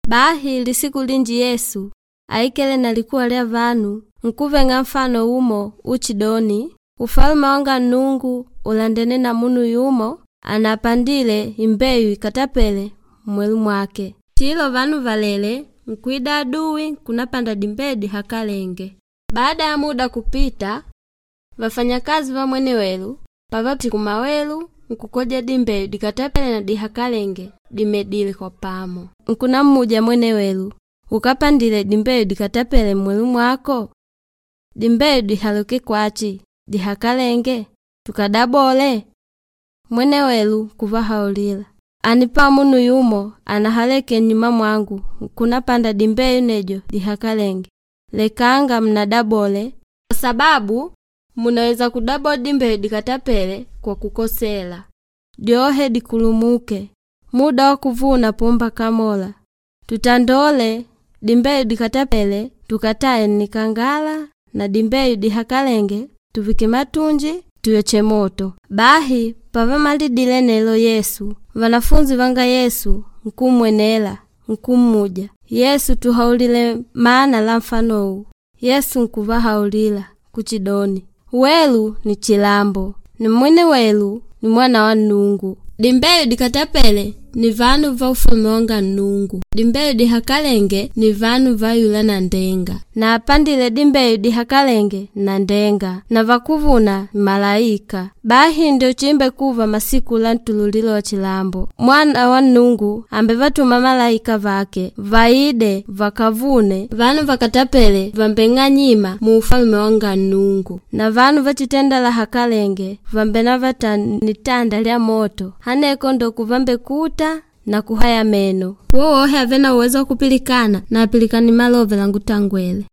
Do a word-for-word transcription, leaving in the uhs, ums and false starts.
Bahi lisiku linji Yesu aikele na likuwa lya vanu nkuveng'a mfano umo uchidoni, ufalume wanga Nnungu ulandene na munu yumo anapandile imbeyu ikatapele mmwelu mwake. Chilo vanu valele nkwida aduwi nkunapanda dimbeyu dihakalenge. Baada ya muda kupita, vafanyakazi va mwene welu pavati kumawelu nkukoja dimbeyu dikatapele na dihakalenge dimedile kwa pamo. Nkunammuja mwene welu, ukapandile dimbeyu dikatapele mmwelu mwako? Dimbeyu dihaluke kwachi dihakalenge tukadabole? Mwene welu kuvahaulila, anipa munu yumo anahaleke nnyuma mwangu nkunapanda dimbeyu nedyo dihakalenge. Lekanga mnadabole kwa sababu munaweza kudabola dimbeyu dikatapele kwa kukosela. Dyohe dikulumuke, muda wa kuvuna pomba kamola. Tutandole dimbeyu dikatapele tukataye nnikangala na dimbeyu dihakalenge tuvike matunji tuyoche moto. Bahi pavamalidile nelo Yesu, vanafunzi vanga Yesu nkummwenela nkummuja, Yesu tuhaulile maana la mfano uwu. Yesu nkuvahaulila kuchidoni, welu ni chilambo ni mwene welu ni mwana wa Nnungu. Dimbeyu dikatapele ni vanu va ufalume wanga Nnungu. Dimbeyu dihakalenge ni vanu va yula nanndenga. Na apandile dimbeyu dihakalenge nanndenga na vakuvuna ni malaika. Bahi njo chimbekuva masiku la ntululilo wa chilambo. Mwana wa Nnungu ambevatuma malaika vake vaide vakavune vanu vakatapele vambeng'anyima mu ufalume wanga Nnungu. Na vanu vachitenda lahakalenge vambenavata nitanda lya moto haneko ndo kuvambekuta na kuhaya meno. Wowohe ave na uwezo wa kupilikana na apilikane malove langutangwele.